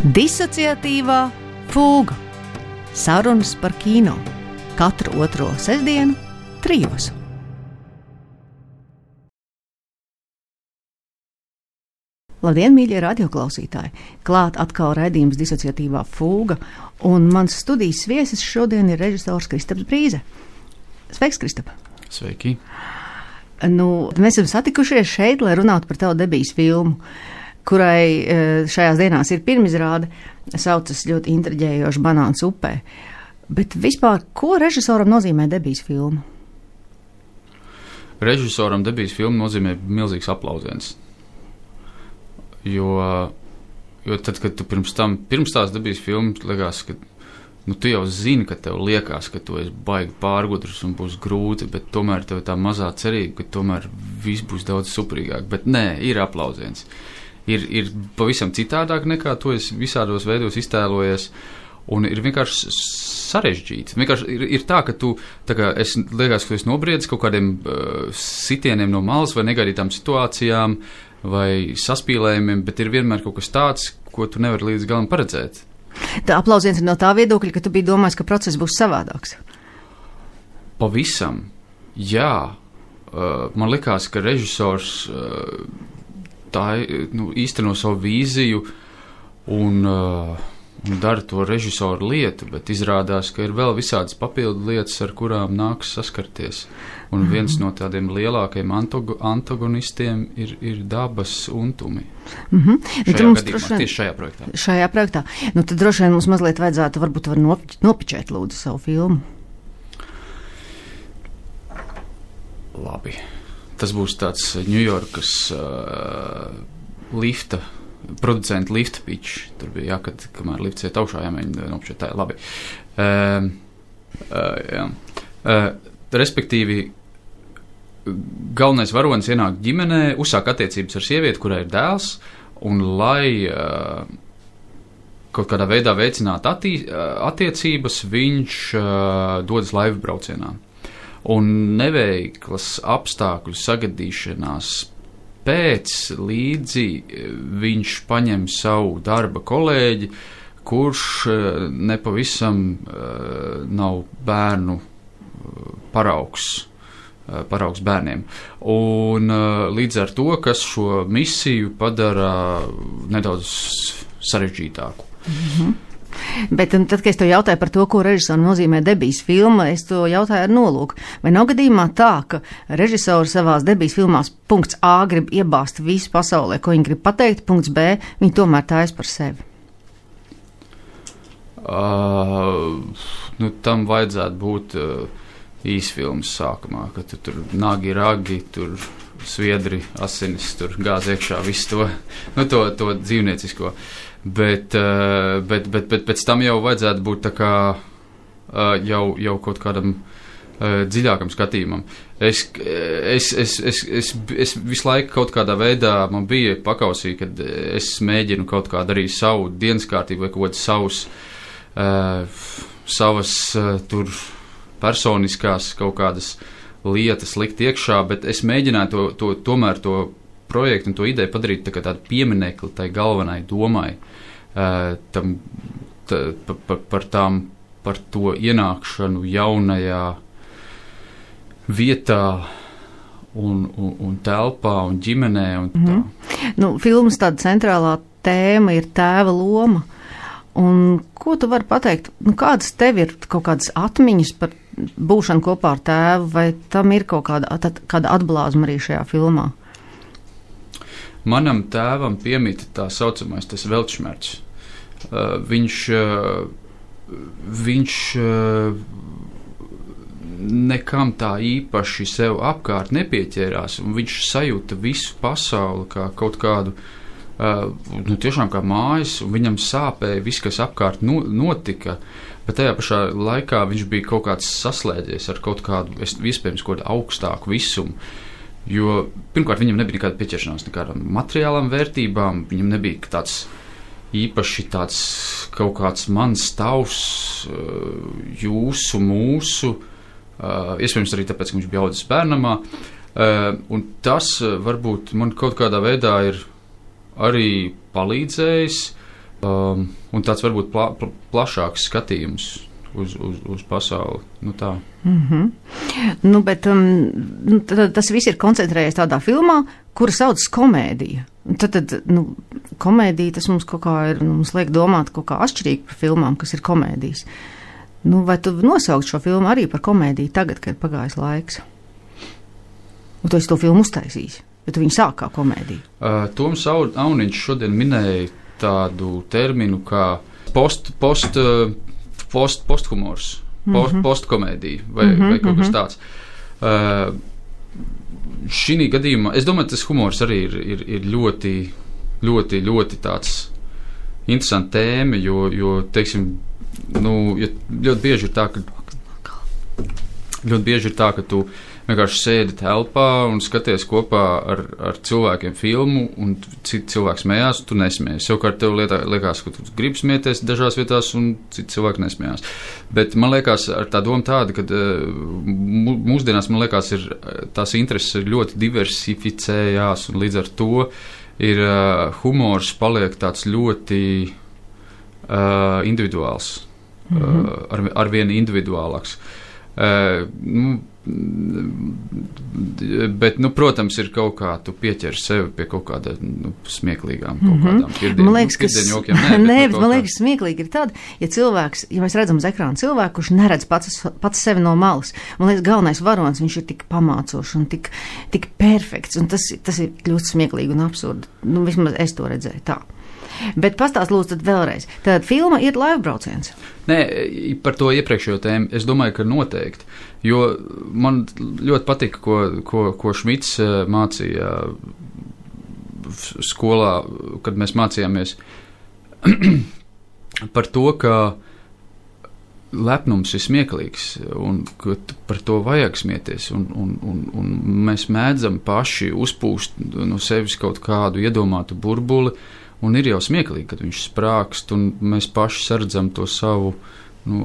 Disociatīvā fūga. Sarunas par kino. Katru otro sestdienu, 3. Labdien, mīļie radioklausītāji! Klāt atkal raidījums Disociatīvā fūga, un mans studijas viesis šodien ir režisors Kristaps Brīze. Sveiks, Kristap! Sveiki! Mēs esam satikušies šeit, lai runātu par tavu debijas filmu, kurai šajās dienās ir pirmizrāde, saucas ļoti intriģējoši Banāns upē. Bet vispār, ko režisoram nozīmē debijas filma? Režisoram debijas filma nozīmē milzīgs aplausiens. Jo tad, kad tu pirms tās debijas filmas liekas, ka tu jau zini, ka tev liekas, ka tu esi baigi pārgudrs un būs grūti, bet tomēr tev tā mazā cerība, ka tomēr viss būs daudz superīgāk. Bet nē, ir aplausiens. Ir pavisam citādāk nekā tu esi visādos veidos iztēlojies, un ir vienkārši sarežģīti. Vienkārši ir tā, ka liekas, ka tu esi nobriedis kaut kādiem sitieniem no malas vai negaidītām situācijām vai saspīlējumiem, bet ir vienmēr kaut kas tāds, ko tu nevari līdz galam paredzēt. Tā aplausiens ir no tā viedokļa, ka tu biji domājis, ka process būs savādāks. Pavisam, jā. Man likās, ka režisors īsteno savu vīziju un dara to režisoru lietu, bet izrādās, ka ir vēl visādas papildu lietas, ar kurām nāks saskarties. Un viens no tādiem lielākajiem antagonistiem ir dabas untumi. Tieši šajā projektā. Šajā projektā. Tad droši vien mums mazliet vajadzētu varbūt nopičēt lūdzu savu filmu. Labi. Tas būs tāds Ņujorkas producentu lifta pitch. Tur bija jākad, kamēr lifts iet augšā, jāmēģina nopičēt tā. Labi. Respektīvi, galvenais varonis ienāk ģimenē, uzsāk attiecības ar sievieti, kurai ir dēls, un lai kaut kādā veidā veicinātu attiecības, viņš dodas laivu braucienā. Un neveiklas apstākļu sagadīšanās pēc līdzi viņš paņem savu darba kolēģi, kurš nepavisam nav bērnu paraugs bērniem. Un līdz ar to, kas šo misiju padara nedaudz sarežģītāku. Bet tad, kad es to jautāju par to, ko režisoram nozīmē debijas filma, es to jautāju ar nolūku. Vai nav gadījumā tā, ka režisori savās debijas filmās punkts A grib iebāzt visu pasaulē, ko viņi grib pateikt, punkts B, viņi tomēr tājas par sevi? Tam vajadzētu būt īsfilmas sākumā, ka tur nagi, ragi, tur sviedri, asinis, tur gāz iekšā, visu to dzīvniecisko. Bet pēc tam jau vajadzētu būt tā kā jau kaut kādam dziļākam skatījumam. Es visu laiku kaut kādā veidā man bija pakausī, kad es mēģinu kaut kādu arī savu dienas kārtību vai kaut kādas savas tur personiskās kaut kādas lietas likt iekšā, bet es mēģināju tomēr to projektu un to ideju padarīt tādu pieminekli tai galvenai domai, par to ienākšanu jaunajā vietā un telpā un ģimenē un tā. Filmas tāda centrālā tēma ir tēva loma. Un ko tu vari pateikt? Kādas tev ir kaut kādas atmiņas par būšanu kopā ar tēvu, vai tam ir kaut kāda atblāzma arī šajā filmā? Manam tēvam piemīta tā saucamais tas veltšmerts. Viņš nekam tā īpaši sev apkārt nepieķērās, un viņš sajūta visu pasauli kā kaut kādu tiešām kā mājas, un viņam sāpēja viss, kas apkārt notika, bet tajā pašā laikā viņš bija kaut kāds saslēdzies ar kaut kādu, iespējams, kaut kādu augstāku visumu, jo pirmkārt viņam nebija nekāda pieķeršanās nekādām materiālām vērtībām, viņam nebija tāds īpaši tāds kaut kāds mans tavs, jūsu, mūsu, iespējams arī tāpēc, ka viņš bija audzis bērnamā, un tas varbūt man kaut kādā veidā ir arī palīdzējis Un tāds varbūt plašāks skatījums uz pasauli. Nu tā. Bet tas viss ir koncentrējies tādā filmā, kura saucas komēdija. Tad komēdija tas mums kaut kā ir, mums liek domāt kaut kā atšķirīgi par filmām, kas ir komēdijas. Vai tu nosaukt šo filmu arī par komēdiju tagad, kad pagājis laiks? Un tu esi to filmu uztaisījis, bet tu viņu sāk kā komēdiju. Toms Auniņš šodien minēja tādu terminu kā posthumors, postkomēdija vai kaut kas tāds. Šī gadījumā, es domāju, tas humors arī ir ļoti, ļoti, ļoti tāds interesants tēma, jo teiksim, ļoti bieži ir tā, ka tu vienkārši sēdi telpā un skaties kopā ar cilvēkiem filmu, un citi cilvēki smējās, tu nesmējies. Savukārt tev liekas, ka tu gribi smieties dažās vietās, un citi cilvēki nesmējās. Bet man liekas, ar tā doma tāda, ka mūsdienās, man liekas, tās intereses ir ļoti diversificējās, un līdz ar to ir humors paliek tāds ļoti individuāls, arvien individuālāks. Bet, protams, ir kaut kā, tu pieķer sevi pie kaut kāda smieklīgām, kaut kādām pirdienjokiem. Man liekas, smieklīgi ir tad, ja mēs redzam uz ekrāna cilvēku, kurš neredz pats sevi no malas. Man liekas, galvenais varonis, viņš ir tik pamācošs un tik perfekts, un tas ir ļoti smieklīgi un absurdi. Vismaz es to redzēju tā. Bet pastāst lūdzu tad vēlreiz. Tad filma ir laivbrauciens. Nē, par to iepriekšējo tēmu es domāju, ka noteikti. Jo man ļoti patika, ko Šmits mācīja skolā, kad mēs mācījāmies par to, ka lepnums ir smieklīgs un ka par to vajag smieties. Un mēs mēdzam paši uzpūst no sevis kaut kādu iedomātu burbuli. Un ir jau smieklīgi, kad viņš sprākst, un mēs paši sardzam to savu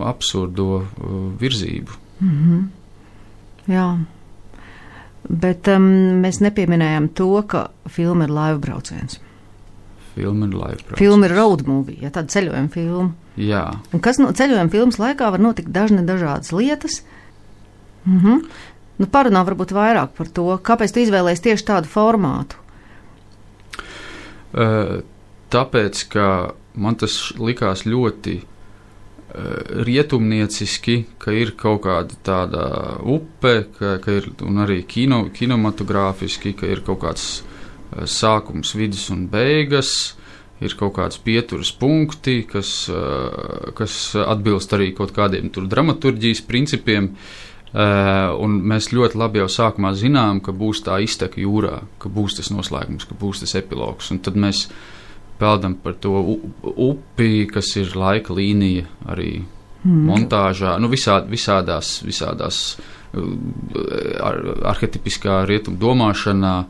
absurdo virzību. Jā, bet mēs nepieminējam to, ka filma ir laivbrauciens. Filma ir laivbrauciens. Filma ir road movie, ja tāda ceļojuma filma. Jā. Un kas ceļojuma filmas laikā var notikt dažādas lietas. Parunā varbūt vairāk par to, kāpēc tu izvēlējies tieši tādu formātu. Tāpēc, ka man tas likās ļoti rietumnieciski, ka ir kaut kāda tāda upe, ka ir, un arī kinematogrāfiski, ka ir kaut kāds sākums, vidus un beigas, ir kaut kāds pieturas punkti, kas atbilst arī kaut kādiem tur dramaturģijas principiem, un mēs ļoti labi jau sākumā zinām, ka būs tā izteka jūrā, ka būs tas noslēgums, ka būs tas epilogs, un tad mēs peldam par to upi, kas ir laika līnija arī montāžā, visādās arhetipiskā rietumu domāšanā,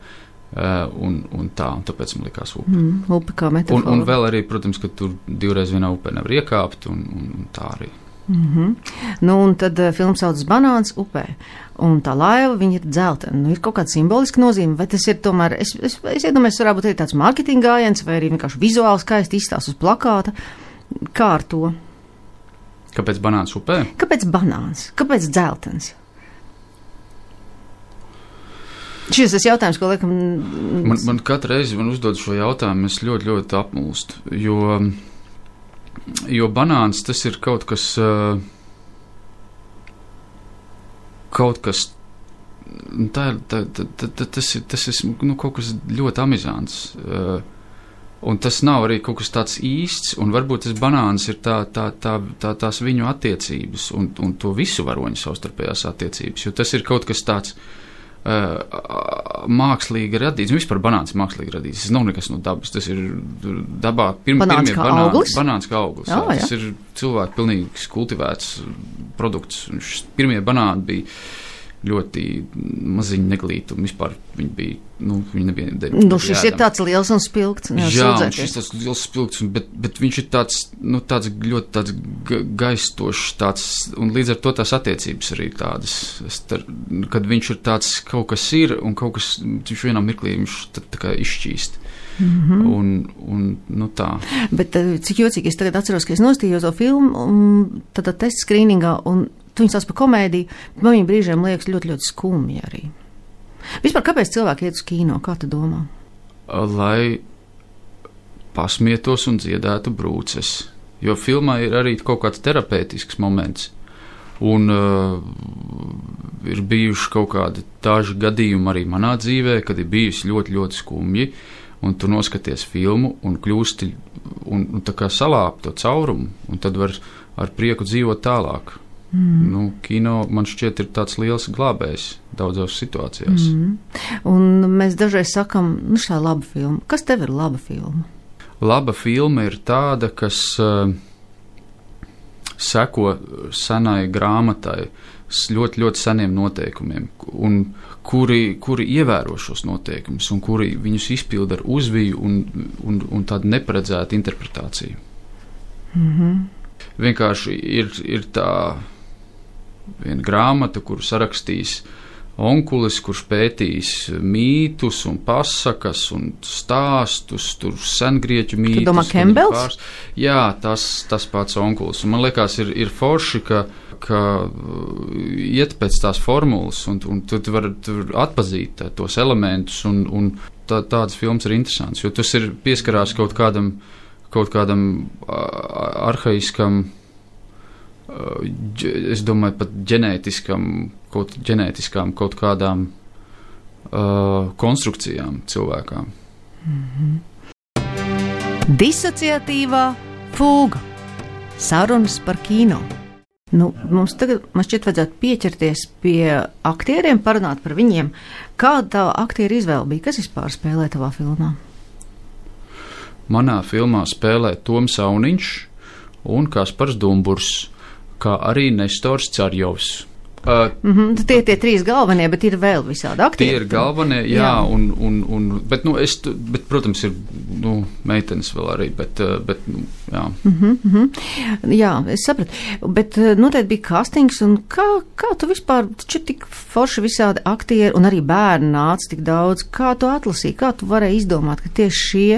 un tāpēc man likās upe. Upe kā metafora. Un vēl arī, protams, ka tur divreiz vienā upē nevar iekāpt, un tā arī. Un tad filma saucas Banāns upē, un tā laiva, viņa ir dzeltena. Ir kaut kāda simboliska nozīme, vai tas ir tomēr, es iedomājos, varbūt arī tāds mārketinga gājiens, vai arī vienkārši vizuāli skaisti izstāsts uz plakāta. Kā ar to? Kāpēc banāns upē? Kāpēc banāns? Kāpēc dzeltens? Šis ir jautājums, ko liekam... Man katru reizi uzdod šo jautājumu, es ļoti, ļoti apmulstu, jo banāns tas ir kaut kas tas ir kaut kas ļoti amizants, un tas nav arī kaut kas tāds īsts, un varbūt tas banāns ir tās viņu attiecības, un to visu varoņu savstarpējās attiecības, jo tas ir kaut kas tāds mākslīgi radīts. Vispār banāns ir mākslīgi radīts. Tas nav nekas no dabas. Tas ir dabā banāns kā auglis? Banāns kā auglis. Jā. Tas ir cilvēku pilnīgi kultivēts produkts. Pirmie banāni bija ļoti maziņi neglīti, un vispār viņi bija, viņi nebija šis ir tāds liels un spilgts. Jā, un šis tāds liels spilgts, bet viņš ir tāds ļoti tāds gaistošs, tāds, un līdz ar to tās attiecības arī tādas, kad viņš ir tāds kaut kas ir, un kaut kas, viņš vienā mirklī, viņš tā kā izšķīst. Un tā. Bet cik jocīgi, es tagad atceros, ka es nostījos to filmu, tad testa skrīningā, un tu viņus sauc par komēdiju, man viņa brīžiem liekas ļoti, ļoti skumji arī. Vispār, kāpēc cilvēki iet uz kino? Kā tu domā? Lai pasmietos un dziedētu brūces. Jo filmā ir arī kaut kāds terapeitisks moments. Un ir bijuši kaut kādi daži gadījumi arī manā dzīvē, kad ir bijusi ļoti, ļoti skumji. Un tu noskaties filmu un kļūsti un tā kā salāp to caurumu, un tad var ar prieku dzīvot tālāk. Kino, man šķiet, ir tāds liels glābējs daudzās situācijās. Un mēs dažreiz sakam, šā laba filma. Kas tev ir laba filma? Laba filma ir tāda, kas seko senai grāmatai, ļoti, ļoti seniem noteikumiem, un kuri ievēro šos noteikumus, un kuri viņus izpilda ar uzviju un tādu neparedzētu interpretāciju. Vienkārši ir tā viena grāmata, kuru sarakstīs onkulis, kurš pētīs mītus un pasakas un stāstus, tur sengrieķu mītus. Tu domā Kembels? Jā, tas pats onkulis. Un man liekas, ir forši, ka iet pēc tās formulas, un tu vari atpazīt tos elementus, un tādas filmas ir interesants, jo tas ir pieskarās kaut kādam arhaiskam, es domāju, pat ģenētiskām kaut kādām konstrukcijām cilvēkām. Disociatīvā fūga. Sarunas par kino. Mums tagad, man šķiet, vajadzētu pieķerties pie aktieriem, parunāt par viņiem. Kāda tava aktieru izvēle bija? Kas vispār spēlē tavā filmā? Manā filmā spēlē Toms Auniņš un Kaspars Dumburs, kā arī Nestors Carjovs. Tie ir tie trīs galvenie, bet ir vēl visādi aktieri. Tie ir galvenie, jā. Bet, protams, ir meitenes vēl arī, bet jā. Jā, es sapratu. Bet noteikti bija castings, un kā tu vispār, taču tik forši visādi aktieri, un arī bērni nāca tik daudz, kā tu atlasīji, kā tu varēji izdomāt, ka tieši šie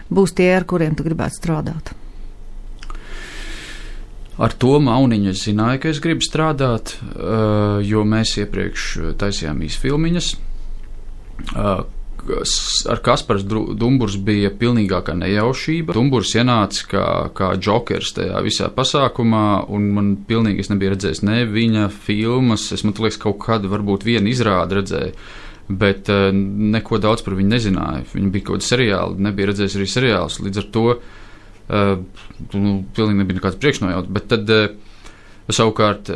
būs tie, ar kuriem tu gribētu strādāt? Ar Tomu Auniņu es zināju, ka es gribu strādāt, jo mēs iepriekš taisījām īsfilmiņas. Ar Kaspars Dumburs bija pilnīgākā nejaušība. Dumburs ienāca kā džokers tajā visā pasākumā, un man pilnīgi es nebiju redzējis ne viņa filmas, man liekas, kaut kādu varbūt vienu izrādi redzēju, bet neko daudz par viņu nezināju. Viņa bija kaut kāda seriāla, nebija redzējis arī seriālus, līdz ar to pilnīgi nebija nekāds priekšnojauts, bet tad savukārt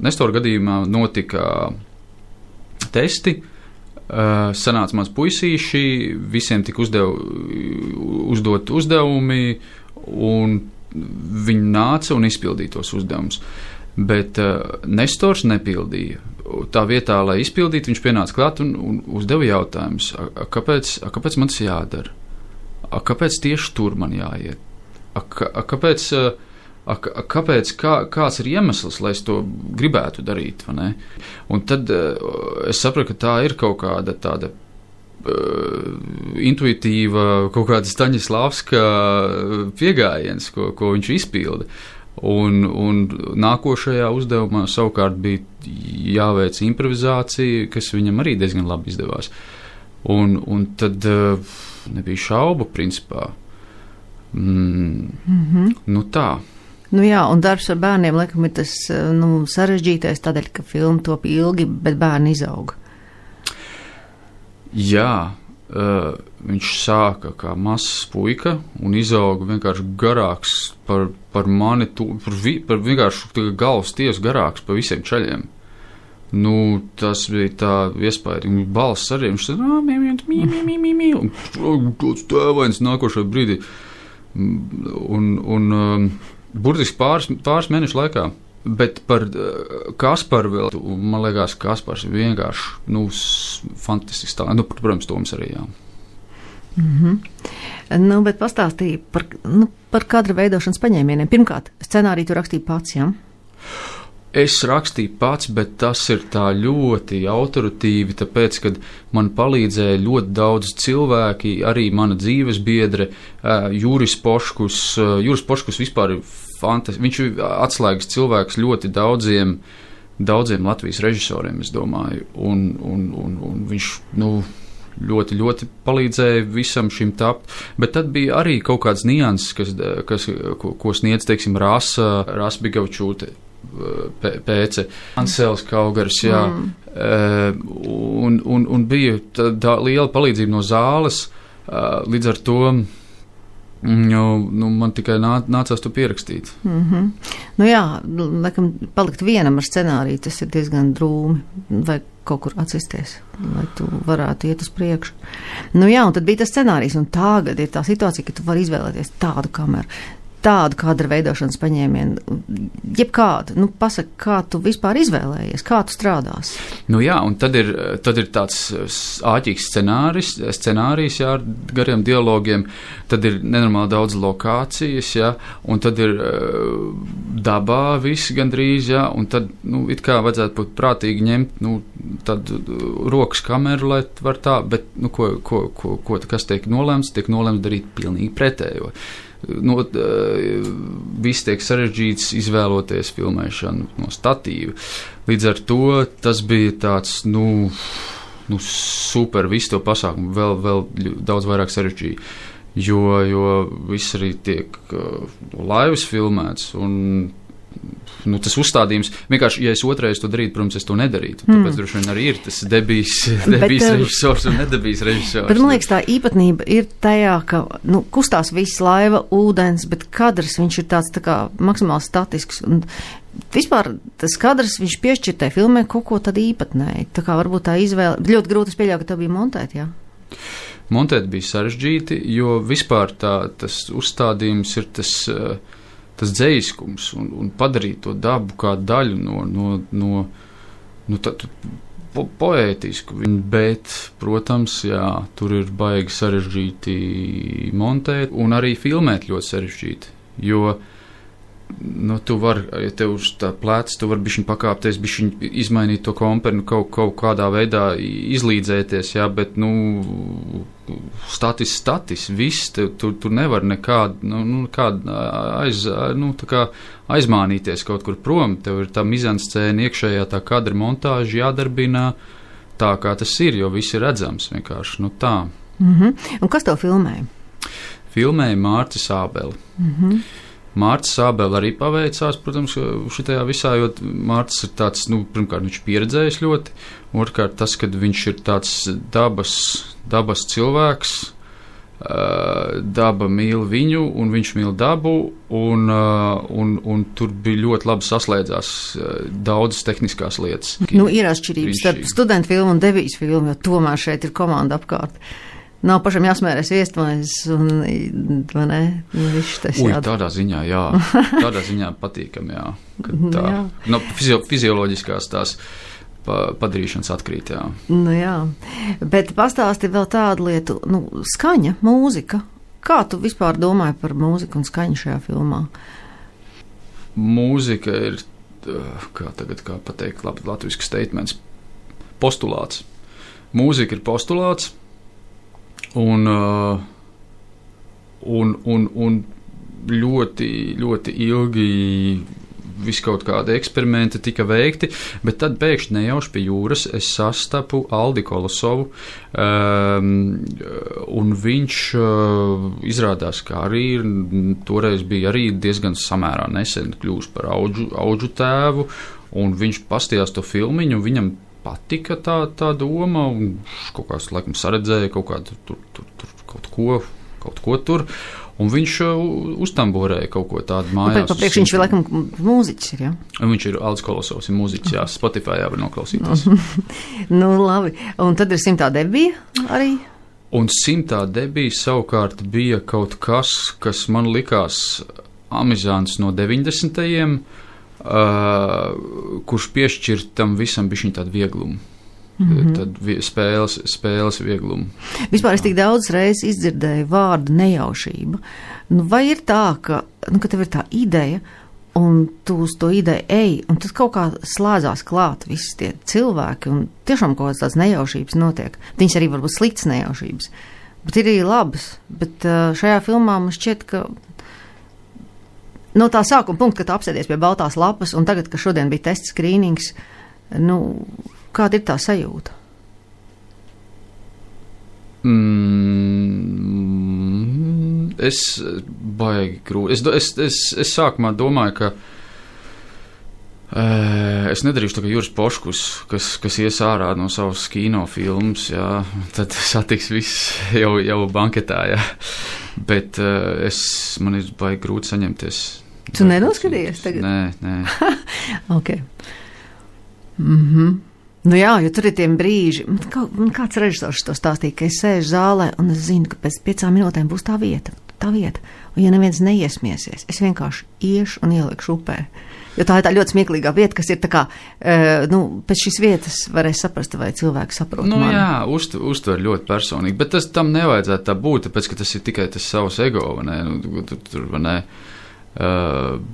Nestora gadījumā notika testi, sanāca mans puisīši, visiem tika uzdot uzdevumi, un viņi nāca un izpildīja tos uzdevumus. Bet Nestors nepildīja. Tā vietā, lai izpildītu, viņš pienāca klāt un uzdeva jautājumus, kāpēc man tas jādara? Kāpēc tieši tur man jāiet? Kāds ir iemesls, lai es to gribētu darīt, vai ne? Un tad es sapratu, ka tā ir kaut kāda tāda intuitīva, kaut kāda Staņislavska piegājiens, ko viņš izpilda. Un nākošajā uzdevumā savukārt bija jāveic improvizācija, kas viņam arī diezgan labi izdevās. Un tad nebija šaubu, principā. Tā. Jā, un darbs ar bērniem, laikam, ir tas sarežģītais, tādēļ, ka filma top ilgi, bet bērni izauga. Jā, viņš sāka kā mazs puika un izauga vienkārši garāks par mani, par vienkārši galvas tiesu garāks par visiem čaļiem. Tas bija tā iespaidīgi. Balss arī, viņš teica, un kāds tēvains nākošajā brīdī. Burtiski pāris mēnešu laikā. Bet par Kasparu vēl, man liekas, Kaspars ir vienkārši, fantastisks tā. Protams, Toms arī, jā. Bet pastāstīja par kadra veidošanas paņēmieniem. Pirmkārt, scenāriju tu rakstīji pats, jā? Es rakstīju pats, bet tas ir tā ļoti autoritīvi, tāpēc, kad man palīdzēja ļoti daudz cilvēki, arī mana dzīves biedre, Juris Poškus. Juris Poškus vispār ir fantastisks. Viņš ir atslēgas cilvēks ļoti daudziem Latvijas režisoriem, es domāju. Un viņš, ļoti, ļoti palīdzēja visam šim tapt. Bet tad bija arī kaut kāds nianses, ko sniedz, teiksim, Rasa Bigavčūte. Pēce, Ansels Kaugars, jā. Un bija tā liela palīdzība no zāles, līdz ar to man tikai nācās to pierakstīt. Laikam palikt vienam ar scenāriju, tas ir diezgan drūmi, vai kaut kur atsisties, lai tu varētu iet uz priekšu. Un tad bija tas scenārijs, un tagad ir tā situācija, ka tu vari izvēlēties tādu kameru, tādu kadra veidošanas paņēmienu, jebkādu. Pasaka, kā tu vispār izvēlējies, kā tu strādās? Un tad ir tāds āķīgs scenārijs, jā, ar gariem dialogiem, tad ir nenormāli daudz lokācijas, jā, un tad ir dabā viss gandrīz, jā, un tad, it kā vajadzētu būt prātīgi ņemt, tādu rokas kameru, lai var tā, bet, kas tiek nolemts darīt pilnīgi pretējo. Viss tiek sarežģīts izvēloties filmēšanu no statīva. Līdz ar to tas bija tāds, super, visu to pasākumu vēl daudz vairāk sarežģīja, jo viss arī tiek laivas filmēts un tas uzstādījums, vienkārši, ja es otrais to darītu, protams, es to nedarītu. Tāpēc droši vien arī ir tas debijs režisors un nedebijs režisors. Bet man liekas, tā īpatnība ir tajā, ka kustās viss laiva, ūdens, bet kadrs, viņš ir tāds tā kā maksimāli statisks. Un vispār tas kadrs, viņš piešķir tai filmē kaut ko tad īpatnēji. Tā kā varbūt tā izvēle, ļoti grūti es pieļauju, ka tā bija montēt, jā? Montēt bija sarežģīti, jo vispār tas uzstādījums ir tas dzējiskums un padarīt to dabu kā daļu no poētisku. Bet, protams, jā, tur ir baigi sarežģīti montēt un arī filmēt ļoti sarežģīti, jo tu vari, ja tev uz tā pleca, tu vari bišķiņ pakāpties, bišķiņ izmainīt to komperi, kaut kādā veidā izlīdzēties, jā, bet, statis, viss, tur nevar nekādu, aizmānīties kaut kur prom, tev ir tā mizanscēna iekšējā tā kadra montāža jādarbinā tā, kā tas ir, jo viss ir redzams vienkārši, tā. Un kas tev filmēja? Filmēja Mārcis Ābeli. Mārcis Ābeli arī paveicās, protams, šitajā visā, jo Mārcis ir tāds, pirmkārt, viņš pieredzējis ļoti, otrkārt tas, kad viņš ir tāds dabas cilvēks, daba mīl viņu, un viņš mīl dabu, un tur bija ļoti labi saslēdzās daudzas tehniskās lietas. Ir atšķirības starp studentu filmu un debijas filmu, jo tomēr šeit ir komanda apkārt. Nav pašam jāsmērēs viestmaizes un, vai ne, viss tas tādā ziņā, jā. Tādā ziņā patīkam, jā. No fizioloģiskās tās padarīšanas atkrīt, jā. Jā. Bet pastāsti vēl tādu lietu, skaņa, mūzika. Kā tu vispār domāji par mūziku un skaņu šajā filmā? Mūzika ir, kā pateikt, latvisks statements, postulāts. Mūzika ir postulāts. Un ļoti, ļoti ilgi viskaut kādi eksperimenti tika veikti, bet tad pēkšņi nejauši pie jūras es sastapu Aldi Kolosovu, un viņš izrādās, ka arī toreiz bija arī diezgan samērā nesen kļūst par auģu tēvu, un viņš pastījās to filmiņu, viņam patika tā doma, un kaut kāds laikam saredzēja kaut kādu kaut ko tur, un viņš uztamborēja kaut ko tādu mājās. Papriekš viņš ir laikam mūziķis, ir, jā? Viņš ir Aldis Kolosovs, ir mūziķis, jā, Spotify var noklausīties. Labi. Un tad ir 100. debija arī? Un 100. debija savukārt bija kaut kas man likās amizants no 90. Kurš piešķir tam visam bišķiņ tādu vieglumu. Tad spēles vieglumu. Vispār es tik daudz reizes izdzirdēju vārdu nejaušība. Vai ir tā, ka tev ir tā ideja, un tu uz to ideju ej, un tad kaut kā slēdzās klāt visi tie cilvēki, un tiešām kaut kādas tādas nejaušības notiek. Viņas arī varbūt sliktas nejaušības, bet ir arī labas. Bet šajā filmā man šķiet, ka no tā sākuma punkta, kad tu apsēdies pie baltās lapas, un tagad, ka šodien bija tests skrīnings, kāda ir tā sajūta? Es baigi grūti. Es sākumā domāju, ka es nedarīšu tā kā Juris Poškus, kas ies ārā no savas kinofilmas, jā, tad satiks viss jau banketā, jā. Bet man ir baigi grūti saņemties. Tu nenoskatījies tagad? Nē. Ok. Nu jā, jo tur ir tiem brīži. Man kāds režisors to stāstīja, ka es sēžu zālē un es zinu, ka pēc 5 minūtēm būs tā vieta. Un ja neviens neiesmiesies, es vienkārši iešu un ielikšu upē. Jo tā ir tā ļoti smieklīgā vieta, kas ir tā kā, pēc šīs vietas varēs saprast, vai cilvēki saprot mani. Jā, uztver ļoti personīgi, bet tam nevajadzētu tā būt, tāpēc, ka tas ir tikai tas savs ego, vai ne? Tur, vai ne?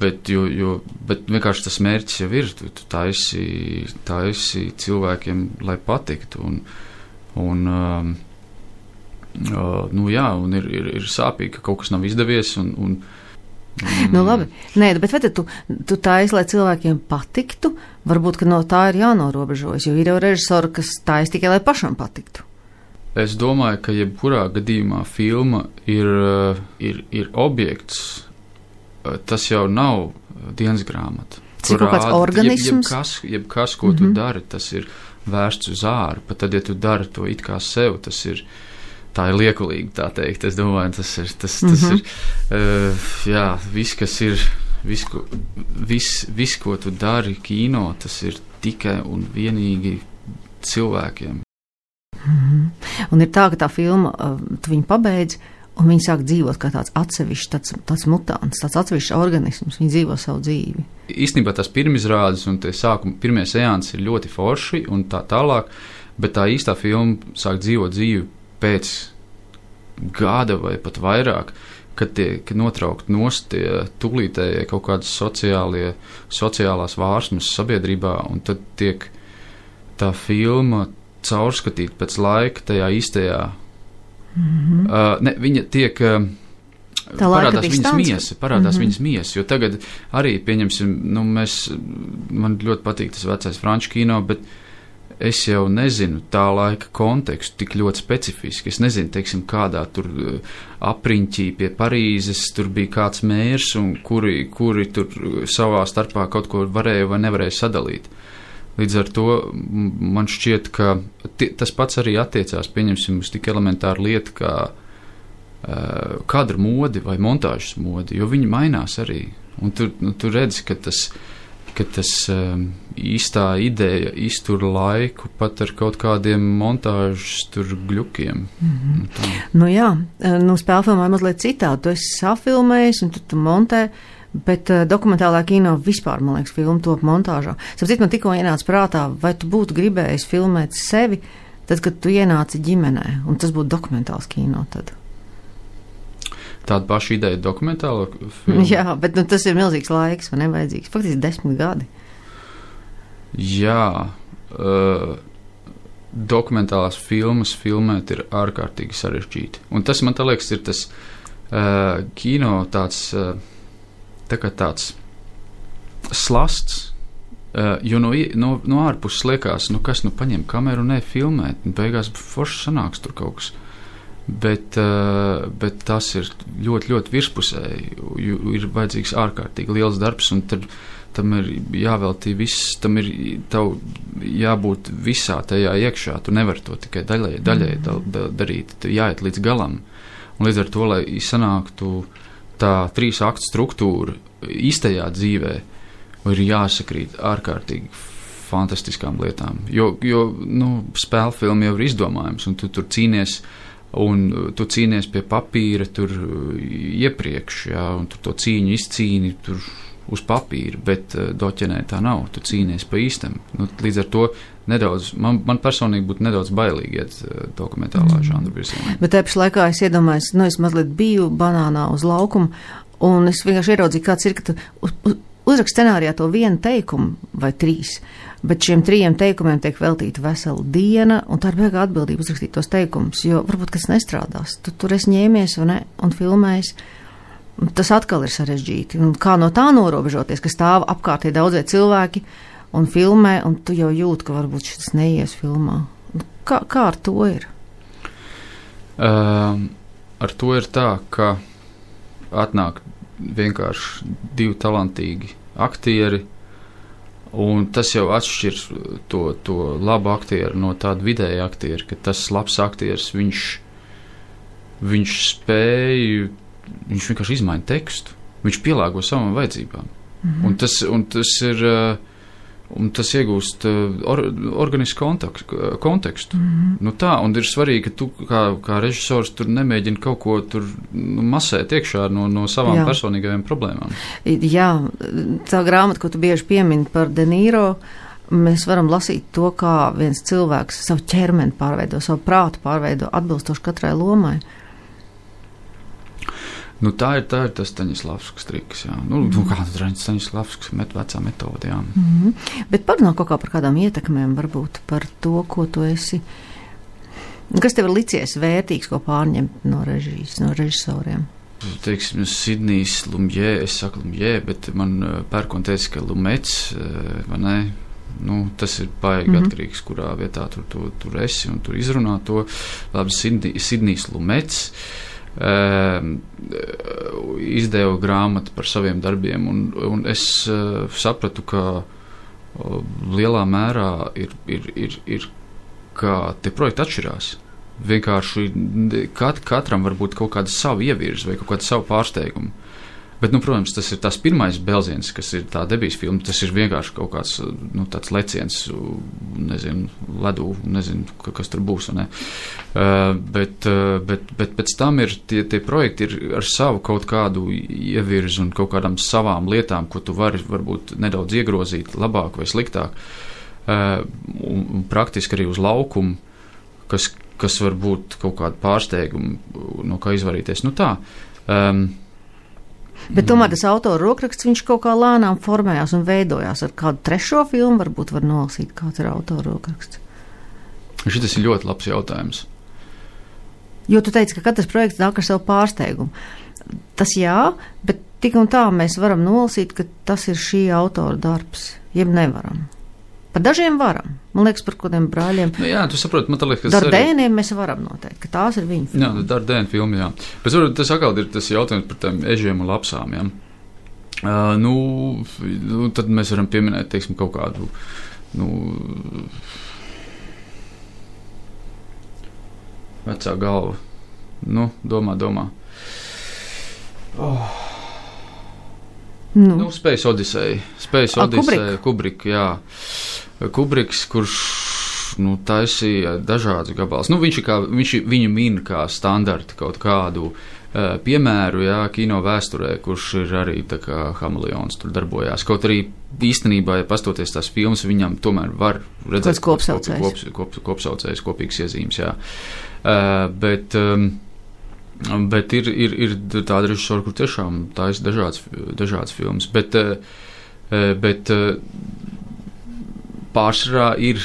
Bet vienkārši tas mērķis jau ir, tu taisi cilvēkiem, lai patiktu, un ir sāpīgi, ka kaut kas nav izdevies, labi, nē, bet vai tu taisi, lai cilvēkiem patiktu, varbūt, ka no tā ir jānorobežojas, jo ir jau režisori, kas taisi tikai, lai pašam patiktu. Es domāju, ka jebkurā gadījumā filma ir objekts. Tas jau nav dienas grāmata. Cik kaut kāds organisms? Jebkas, ko tu dari, tas ir vērsts uz āru. Pat tad, ja tu dari to it kā sev, tā ir liekulīgi, tā teikt. Es domāju, tas ir, jā, viss, ko tu dari kino, tas ir tikai un vienīgi cilvēkiem. Un ir tā, ka tā filma, tu viņu pabeidz, un viņi sāk dzīvot kā tāds atsevišķs, tāds mutants, tāds atsevišķs organisms. Viņi dzīvo savu dzīvi. Īstenībā tās pirmizrādes un pirmie seansi ir ļoti forši un tā tālāk, bet tā īstā filma sāk dzīvot dzīvi pēc gada vai pat vairāk, kad tiek notraukt nost tie tūlītējie kaut kādas sociālās vārsmas sabiedrībā, un tad tiek tā filma caurskatīt pēc laika tajā īstajā. Viņa tiek parādās viņas miesa, jo tagad arī, pieņemsim, man ļoti patīk tas vecais franču kino, bet es jau nezinu tā laika kontekstu tik ļoti specifiski. Es nezinu, teiksim, kādā tur apriņķī pie Parīzes tur bija kāds mērs, un kuri tur savā starpā kaut ko varēja vai nevarēja sadalīt. Līdz ar to man šķiet, ka tas pats arī attiecās, pieņemsim, uz tik elementāru lietu kā kadru modi vai montāžas modi, jo viņi mainās arī. Un tu redzi, ka tas īstā ideja iztur laiku pat ar kaut kādiem montāžas tur gļukiem. Spēlfilmā mazliet citādi. Tu esi safilmējis un tu montē. Bet dokumentālā kino vispār, man liekas, filma top montāžā. Sapratu, man tikko ienāca prātā, vai tu būtu gribējis filmēt sevi, tad, kad tu ienāci ģimenē, un tas būtu dokumentāls kino tad? Tāda paša ideja dokumentāla filma? Jā, bet tas ir milzīgs laiks, vai nevajadzīgs? Faktiski 10 gadi. Jā, dokumentālās filmas filmēt ir ārkārtīgi sarežģīti. Un tas, man tā liekas, ir tas kino tāds... tā kā tāds slasts, jo no ārpuses liekas, kas paņem kameru un filmēt, un beigās forši sanāks tur kaut kas. Bet tas ir ļoti, ļoti virspusēji, ir vajadzīgs ārkārtīgi liels darbs, un tam ir jāveltī viss, tam ir jābūt visā tajā iekšā, tu nevari to tikai daļai darīt, jāiet līdz galam. Un līdz ar to, lai sanāktu tā 3 aktu struktūra īstajā dzīvē ir jāsakrīt ārkārtīgi fantastiskām lietām. Jo spēlfilma jau ir izdomājums, un tu tur cīnies, un tu cīnies pie papīra tur iepriekš, jā, un tu to cīņu izcīni tur uz papīra, bet doķenē tā nav, tu cīnies pa īstam. Līdz ar to nedaudz, man personīgi būtu nedaudz bailīgi iet dokumentālā žanra virzienā. Bet tāpēc laikā es iedomājos, es mazliet biju banānā uz laukuma, un es vienkārši ieraudzīju, kāds ir, ka tu uzrakst scenārijā to vienu teikumu vai 3, bet šiem 3 teikumiem tiek veltīta vesela diena, un tā ir beigā atbildība uzrakstīt tos teikumus, jo varbūt kas nestrādās. Tu tur esi ņēmies un filmējis. Tas atkal ir sarežģīti. Un kā no tā norobežoties, ka stāv apkārtī daudzie cilvēki un filmē, un tu jau jūti, ka varbūt šis neies filmā. Kā ar to ir? Ar to ir tā, ka atnāk vienkārši 2 talantīgi aktieri, un tas jau atšķir to labu aktieru no tāda vidēja aktiera, ka tas labs aktieris, viņš spēj, viņš vienkārši izmaina tekstu, viņš pielāgo savām vajadzībām. Un tas ir, un tas iegūst organisku kontekstu. Nu tā, un ir svarīgi, ka tu kā režisors tur nemēģini kaut ko tur masēt iekšā no savām personīgajām problēmām. Jā, tā grāmata, ko tu bieži piemini par De Niro, mēs varam lasīt to, kā viens cilvēks savu ķermeni pārveido, savu prātu pārveido atbilstoši katrai lomai. Nu, tā ir tas Staņislavskis triks, jā. Kāda Staņislavskis vecā metode, jā. Bet parunā kaut kā par kādām ietekmēm, varbūt par to, ko tu esi, kas tev ir licies vērtīgs, ko pārņemt no režijas, no režisoriem? Teiksim, Sidnijs Lumjē, es saku Lumjē, bet man pērkon teica, ka Lumets, vai ne? Nu, tas ir baigi atkarīgs, kurā vietā tur esi un tur izrunā to. Labi, Sidnijs Lumets izdeva grāmatu par saviem darbiem, un es sapratu, ka lielā mērā ir kā tie projekti atšķirās. Vienkārši katram var būt kaut kāda savu ievirzi vai kaut kāda savu pārsteigumu. Bet, protams, tas ir tās pirmais belziens, kas ir tā debijas filma, tas ir vienkārši kaut kāds, tāds leciens, nezinu, ledū, nezinu, kas tur būs, ne? Bet pēc tam ir tie projekti ir ar savu kaut kādu ievirzi un kaut kādām savām lietām, ko tu vari varbūt nedaudz iegrozīt labāk vai sliktāk, un praktiski arī uz laukumu, kas var būt kaut kādu pārsteigumu, no kā izvarīties. Nu tā, bet tomēr tas autora rokraksts, viņš kaut kā lēnām formējās un veidojās ar kādu 3. filmu, varbūt var nolasīt, kāds ir autora rokraksts. Šitas ir ļoti labs jautājums. Jo tu teici, ka katrs projekts nāk ar savu pārsteigumu. Tas jā, bet tik un tā mēs varam nolasīt, ka tas ir šī autora darbs, jeb nevaram. Par dažiem varam. Man liekas, par kādiem brāļiem. Nu, jā, tu saproti, man liekas, Dardēniem mēs varam noteikt, ka tās ir viņa filmas. Jā, Dardēna filma, jā. Bet tas atkal ir tas jautājums par tiem ežiem un lapsām, jā. Tad mēs varam pieminēt, teiksim, kaut kādu, vecā galva. Domā. Space Odyssey, Kubrick, jā. Kubriks, kurš taisīja dažādus gabalus. Viņu min kā standarti kaut kādu piemēru, jā, kino vēsturē, kurš ir arī tā kā hameleons tur darbojās. Kaut arī īstenībā, ja pastoties tās filmas, viņam tomēr var redzēt kopsaucējs, kopīgas iezīmes, jā. Bet ir tāda režisora, kur tiešām taisa dažādas filmas, bet pārsvarā ir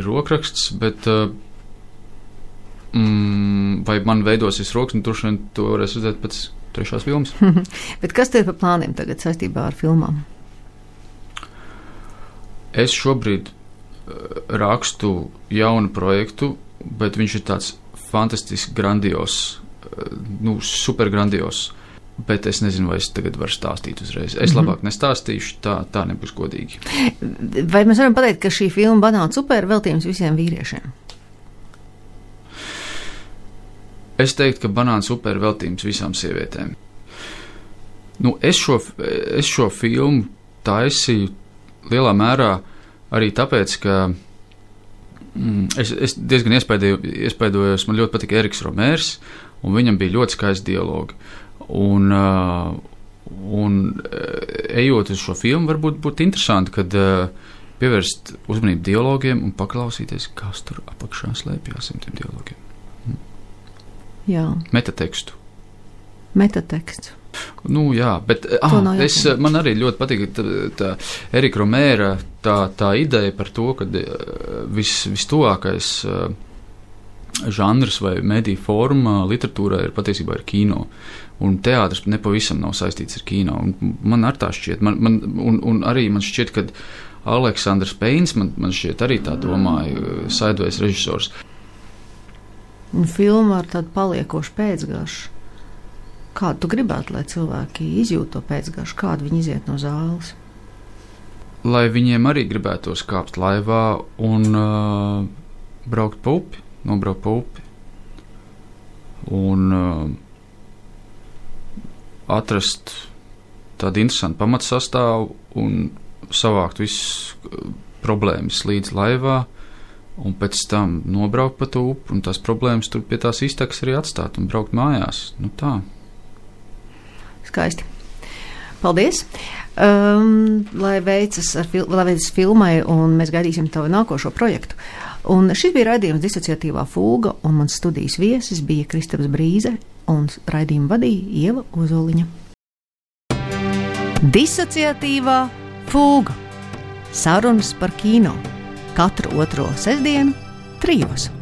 rokraksts, bet vai man veidosies rokas, un tur to varēs redzēt pēc 3. filmas. Bet kas tev ir par plāniem tagad saistībā ar filmām? Es šobrīd rakstu jaunu projektu, bet viņš ir tāds fantastiski grandios, super grandios. Bet es nezinu, vai es tagad varu stāstīt uzreiz. Es labāk nestāstīšu, tā nebūs godīgi. Vai mēs varam pateikt, ka šī filma Banāna super veltījums visiem vīriešiem? Es teiktu, ka Banāna super veltījums visām sievietēm. Es šo filmu taisīju lielā mērā arī tāpēc, ka es diezgan iespaidojos, man ļoti patika Eriks Romērs, un viņam bija ļoti skaisti dialogi. Un ejot uz šo filmu, varbūt būtu interesanti, kad pievērst uzmanību dialogiem un paklausīties, kas tur apakšā slēpjās tiem dialogiem. Jā. Metatekstu. Metateksts. Nu, jā, bet man arī ļoti patīk tā Erika Romēra tā ideja par to, ka vistuvākais žanrs vai mediju forma literatūrā ir patiesībā ir kino. Un teātris nepavisam nav saistīts ar kino. Un man ar tā šķiet. Un arī man šķiet, ka Aleksandrs Peins, man šķiet arī tā domāja, Sideways režisors. Un filma ar tādu paliekošu pēcgaršu. Kādu tu gribētu, lai cilvēki izjūt to pēcgaršu? Kādu viņi iziet no zāles? Lai viņiem arī gribētos kāpt laivā un braukt pa upi, nobraukt pa upi. Un atrast tādu interesantu pamatsastāvu un savākt visas problēmas līdz laivā un pēc tam nobraukt pa to upi un tās problēmas tur pie tās iztekas arī atstāt un braukt mājās. Nu tā. Skaisti. Paldies! Lai veicas filmai un mēs gaidīsim tavu nākošo projektu. Un šis bija raidījums Disociatīvā fūga un mans studijas viesis bija Kristaps Brīze un raidījumu vadīja Ieva Ozoliņa. Disociatīvā fūga. Sarunas par kino. Katru otro sestdienu 3.